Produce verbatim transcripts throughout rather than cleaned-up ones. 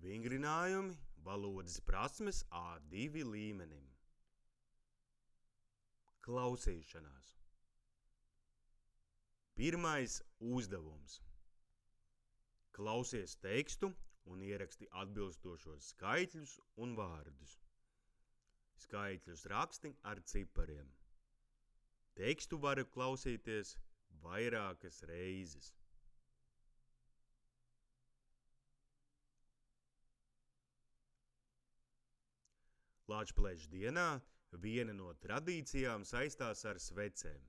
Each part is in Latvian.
Vingrinājumi valodas prasmes A divi līmenim. Klausīšanās. Pirmais uzdevums. Klausies tekstu un ieraksti atbilstošos skaitļus un vārdus. Skaitļus raksti ar cipariem. Tekstu var klausīties vairākas reizes. Lāčplēša dienā viena no tradīcijām saistās ar svecēm.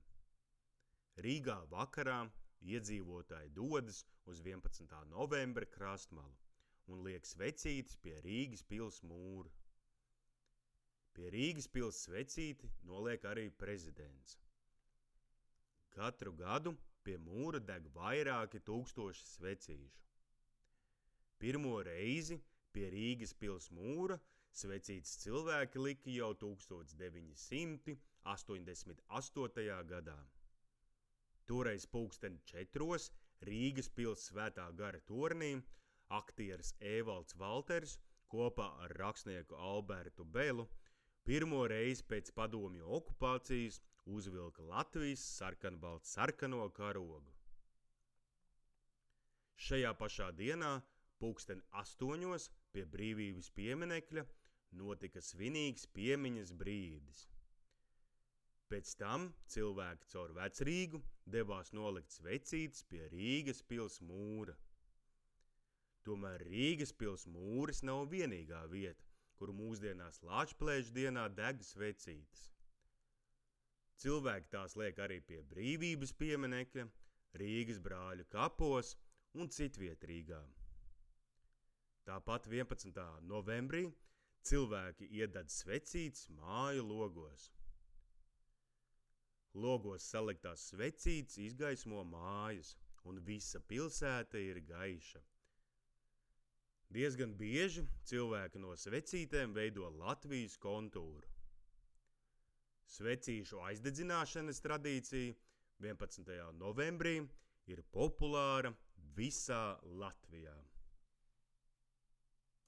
Rīgā vakarā iedzīvotāji dodas uz vienpadsmitā novembra krastmalu un liek svecītes pie Rīgas pils mūra. Pie Rīgas pils svecīti noliek arī prezidents. Katru gadu pie mūra deg vairāki tūkstoši svecīšu. Pirmo reizi pie Rīgas pils mūra svecītes cilvēki lika jau tūkstoš deviņi simti astoņdesmit astotajā gadā. Toreiz pulksten četros Rīgas pils Svētā gara tornī aktieris Ēvalds Valters kopā ar rakstnieku Albertu Belu pirmo reizi pēc padomju okupācijas uzvilka Latvijas sarkanbalts sarkano karogu. Šajā pašā dienā pulksten astoņos pie Brīvības pieminekļa notika svinīgs piemiņas brīdis. Pēc tam cilvēki caur Vecrīgu devās nolikt svecītes pie Rīgas pils mūra. Tomēr Rīgas pils mūris nav vienīgā vieta, kur mūsdienās Lāčplēša dienā deg svecītes. Cilvēki tās liek arī pie Brīvības pieminekļa, Rīgas brāļu kapos un citviet Rīgā. Tāpat vienpadsmitā novembrī cilvēki iededz svecītes māju logos. Logos saliktās svecītes izgaismo mājas, un visa pilsēta ir gaiša. Diezgan bieži cilvēki no svecītēm veido Latvijas kontūru. Svecīšu aizdedzināšanas tradīcija vienpadsmitajā novembrī ir populāra visā Latvijā.